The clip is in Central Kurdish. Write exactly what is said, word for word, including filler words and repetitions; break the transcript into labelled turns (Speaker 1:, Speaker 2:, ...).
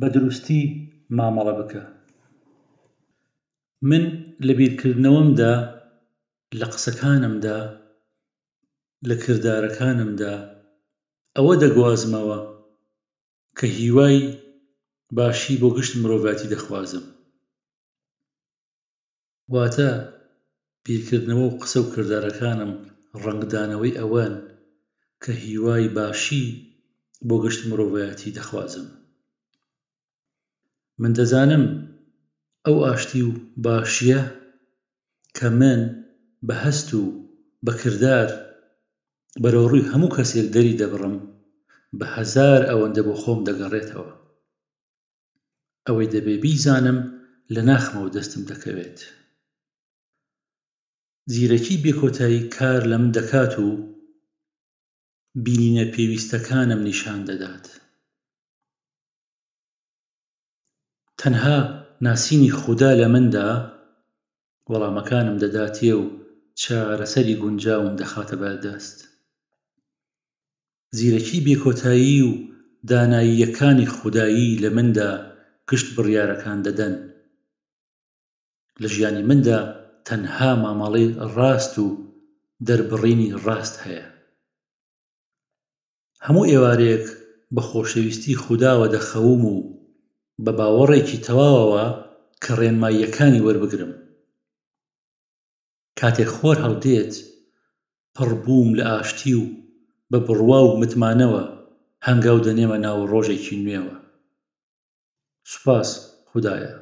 Speaker 1: بە دروستی مامەڵە بکە. من لە بیرکردنەوەمدا، لە قسەکانمدا، لە کردارەکانمدا ئەوە دەگوازمەوە کە هیوای باشی بۆ گشت مرۆڤایەتی دەخوازم. واتە بیرکردنەوە و قسە و کردارەکانم ڕەنگدانەوەی ئەوەن کە هیوای باشی بۆ گشت مرۆڤایەتی دەخوازم. من دەزانم ئەو ئاشتی و باشییە کە من بە هەست و بە کردار بەرەو ڕووی هەموو کەسێک دەری دەبڕم، بە هەزار ئەوەندە بۆ خۆم دەگەڕێتەوە. ئەوەی دەبێ بیزانم لە ناخمەوە دەستم دەکەوێت. زیرەکی بێکۆتایی کار لە من دەکات و بینینە پێویستەکانم نیشان دەدات. تەنها ناسینی خودا لە مندا وەڵامەکانم دەداتێ و چارەسەری گونجاوم دەخاتە بەردەست. زیرەکی بێکۆتایی و داناییەکانی خودایی لە مندا گشت بڕیارەکان دەدەن. لە ژیانی مندا تەنها مامەڵەی ڕاست و دەربڕینی ڕاست هەیە. هەموو ئێوارەیەک بە خۆشەویستی خوداوە دەخەوم و بە باوەڕێکی تەواوەوە کە ڕێنماییەکانی وەربگرم. کاتێک خۆر هەڵدێت، پڕ بووم لە ئاشتی و بە بڕوا و متمانەوە هەنگاو دەنێمە ناو ڕۆژێکی نوێوە. سوپاس خودایە.